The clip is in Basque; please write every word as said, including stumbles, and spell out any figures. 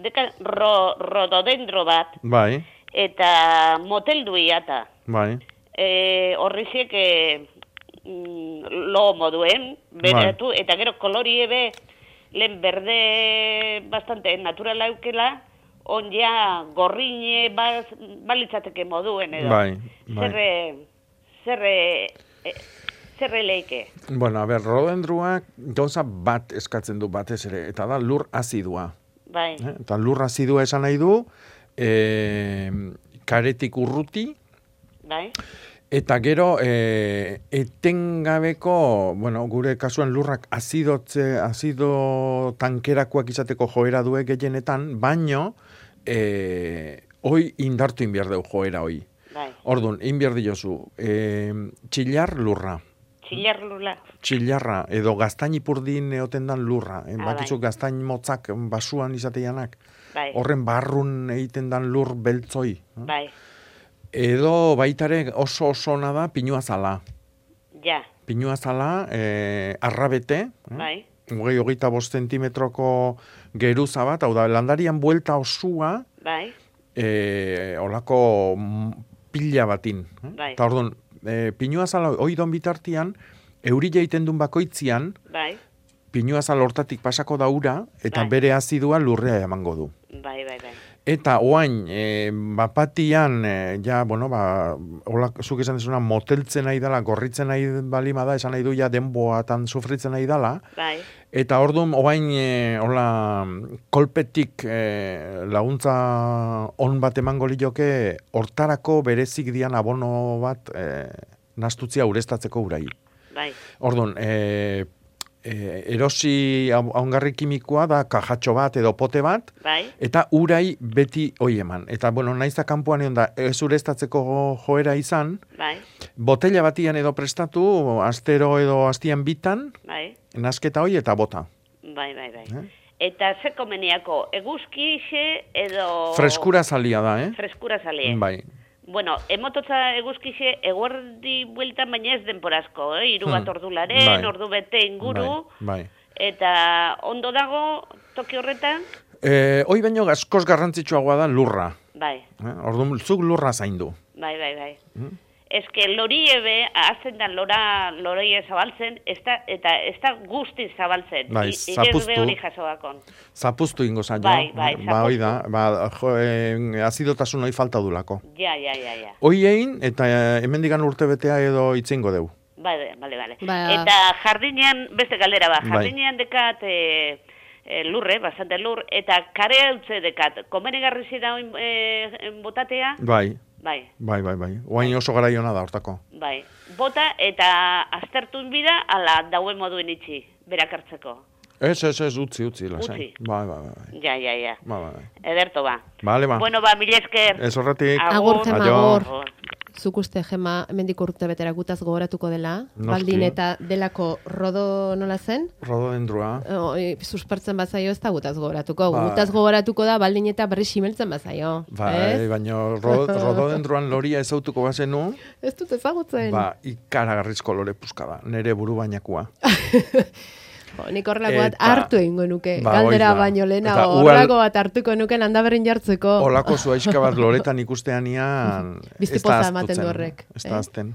deka ro, rododendro bat, Bai, eta moteldu iata. bai. E, horriziek e, mm, lo moduen, beratu, eta gero kolorie be, lehen berde bastante naturala eukela, on ja gorrine baz, balitzateke moduen edo. Bai, bai. Zerre, zerre, e, zerre leike. Bueno, a ber, rododendruak gauza bat eskatzen du batez ere, eta da lur azidua. Bai, Eh? Eta lur azidua esan nahi du, e, karetik urruti, bai, eta gero e, etengabeko, bueno, gure kasuan lurrak azidotze, azido tankerakoak izateko joera due gehienetan, baino, e, hoi indartu inbiar deu joera hoi. bai. Orduan, inbiar diozu, e, txillar lurra. Txillar lula. Txillarra, edo gaztain ipurdin eoten dan lurra. Ah, Bakizu bai. gaztain motzak basuan izateianak. Bai, Horren barrun egiten dan lur beltzoi. bai, Edo baitare oso oso ona da pinuazala. ja, Pinuazala, e, arrabete, eh? bai, hogei hogeita bost zentimetroko geruza bat, hau da, landarian buelta osua, bai, e, olako mm, pila batin. Eh? Bai. Eta orduan, e, pinuazala oidon bitartian, eurila egiten duen bakoitzian, bai, pinuazal hortatik pasako da ura, eta Bai. bere azidua lurrea emango du. bai, bai, bai. Eta oain, e, bapatian, e, ja, bueno, ba, hola, zuk esan dezuna, moteltzen nahi dela, gorritzen nahi balima da, esan nahi du ja denboatan sufritzen nahi dela, Bai, eta orduan, oain, e, hola, kolpetik e, laguntza on bat emango lioke, hortarako berezik dian abono bat e, nastutzia ureztatzeko urai. bai, Orduan, e, e, erosi ongarri kimikoa da kajatxo bat edo pote bat, bai, eta urai beti hoi eman. Eta, bueno, naiz da kanpoan egon da, ez ureztatzeko joera izan, bai, botella batian edo prestatu, astero edo astian bitan, bai, nasketa hoi eta bota. bai, bai, bai. Eh? Eta ze komeniako, eguzkixe edo... Freskura zalia da, eh? Freskura zalie. Bai. Bueno, emototza eguzkixe eguerdi bueltan baina ez denporazko, eh? Iru bat Hmm. ordularen, Bai. ordu bete inguru, Bai, bai. eta ondo dago toki horretan? E, hoi baino askoz garrantzitsuagoa da lurra. Bai, Eh? Orduan, zuk lurra zaindu. bai, bai, bai. Hmm? Ez que lori ebe, azten da lora, loreie zabaltzen, ez da, eta ez da guztiz zabaltzen. Bai, I- zapuztu. Igez hori jasoakon. Zapuztu ingo zaio. Bai, bai, Ba, hoi da, ba, jo, e, azidotasun hoi falta dulako. Ja, ja, ja, ja. Hoi egin, eta e, hemendikan urte betea edo itzingo deu. Bale, bale, bale. Ba- Eta jardinean, beste galdera ba, Bai. jardinean dekat e, e, lurre, bastante lur, eta kare utze dekat, komenigarri zida oin e, botatea? Bai, Bai, bai, bai, bai. Oain oso garaiona da hortako. bai. Bota eta aztertun bida, ala dauen moduen itxi, berak hartzeko. Ez, ez, ez, utzi, utzi, lasai. Utzi. Bai, bai, bai, bai. Ja, ja, ja. Ba, ba, bai. Ederto ba. Bale, ba. Bueno, ba, mila esker. Ez horretik. Agur, Gema, Aio. agur. Zuk uste, Gema, hemendik urte betera gutaz gogoratuko dela, Noski. baldin eta delako rodo nola zen? Rododendrua. Oi, suspertzen bazaio ez da gutaz gogoratuko. Ba. Gutaz gogoratuko da baldin eta berri simeltzen bazaio. Bai, ez? baina ro, rododendruan loria ezautuko bazenu, Ez dut ezagutzen. ba, ikaragarrizko lore puska da, nere buru bainakoa. Jo, nik horrelako bat Eta- hartu egingo nuke. Ba, Galdera hoi da. baino Eta lehenago. ual- Horrelako bat hartuko nuke landaberrin jartzeko. Olako zuaizka bat loretan ikusteanian, ez da Biztipoza ematen aztutzen. du horrek, Ez eh? da azten.